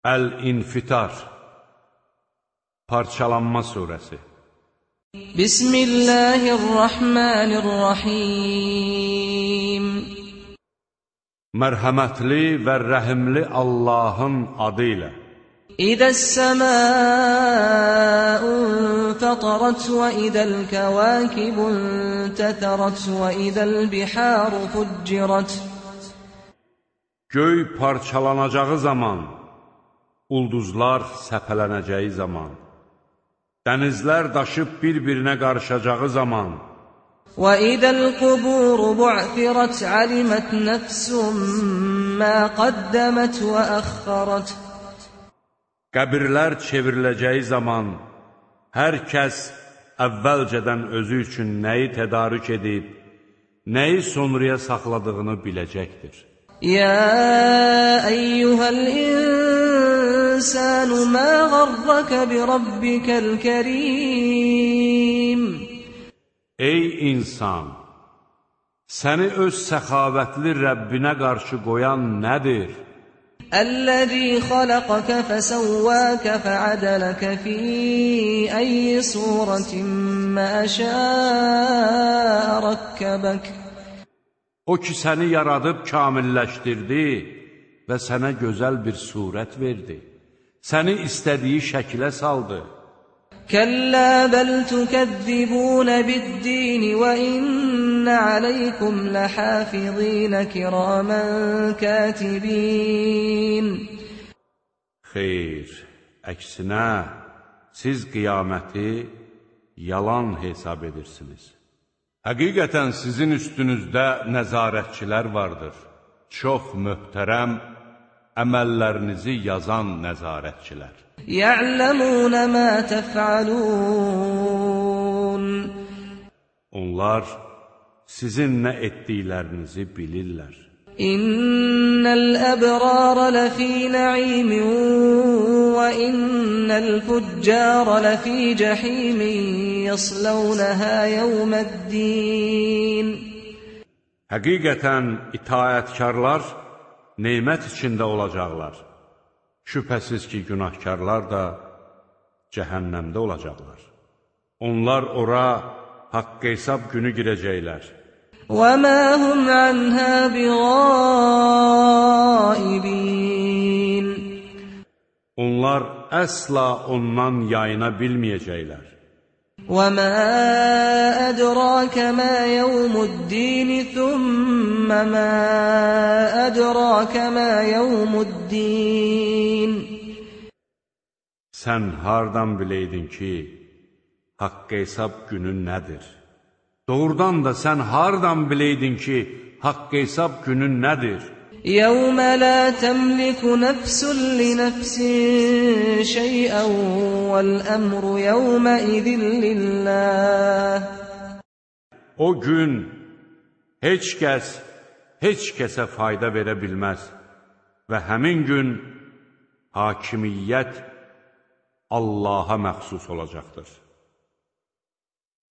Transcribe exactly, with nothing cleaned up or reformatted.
Əl-İnfitar Parçalanma surəsi. Bismillahirrahmanirrahim. Mərhəmətli və rəhimli Allahın adı ilə. İzəs-səmâ'u fatarat və idəl-kəvâkibu intətərat və idəl-bihâru fuccirat. Göy parçalanacağı zaman, ulduzlar səpələnəcəyi zaman, dənizlər daşıb bir-birinə qarışacağı zaman, وَإِذَا الْقُبُورُ بُعْثِرَتْ عَلِمَتْ نَفْسٌ مَا قَدَّمَتْ وَأَخَّرَتْ. Qəbirlər çevriləcəyi zaman, hər kəs əvvəlcədən özü üçün nəyi tədarük edib, nəyi sonraya saxladığını biləcəkdir. يَا أَيُّهَا الْإِنسَانُ مَا غَرَّكَ بِرَبِّكَ الْكَرِيمِ. Ey insan! Səni öz səxavətli Rəbbinə qarşı qoyan nədir? الَّذِي خَلَقَكَ فَسَوَّاكَ فَعَدَلَكَ فِي أَيِّ صُورَةٍ مَا شَاءَ رَكَّبَكَ. O ki səni yaradıb kamilləşdirdi və sənə gözəl bir surət verdi. Səni istədiyi şəkilə saldı. كَلَّا بَلْ تُكَذِّبُونَ بِالدِّينِ وَإِنَّ عَلَيْكُمْ لَحَافِظِينَ كِرَامًا كَاتِبِينَ. Xeyr, əksinə, siz qiyaməti yalan hesab edirsiniz. Həqiqətən sizin üstünüzdə nəzarətçilər vardır. Çox möhtərəm, əməllərinizi yazan nəzarətçilər. يَعْلَمُونَ مَا تَفْعَلُونَ. Onlar sizin nə etdiklərinizi bilirlər. İnnel əbrara lafî na'îmin və innel fuccara lafî cehîmin yaslawnaha yevmeddin. Həqiqətən itaətkarlar nemət içində olacaqlar. Şübhəsiz ki, günahkarlar da cəhənnəmdə olacaqlar. Onlar ora haqq hesab günü girəcəklər. وَمَا هُمْ عَنْهَا بِغَائِبِينَ. Onlar əsla ondan yayına bilməyəcəklər. وَمَا أَدْرَاكَ مَا يَوْمُ الدِّينِ ثُمَّ مَا أَدْرَاكَ مَا يَوْمُ الدِّينِ. Sən hardan biləydin ki, haqq hesab günü nədir? Doğrudan da sən hardan biləydin ki, haqq hesab günü nədir? يَوْمَ لَا تَمْلِكُ نَفْسٌ لِنَفْسٍ شَيْئًا وَالْأَمْرُ يَوْمَئِذٍ لِلَّهِ. O gün heç kəs heç kəsə fayda verə bilməz və həmin gün hakimiyyət Allaha məxsus olacaqdır.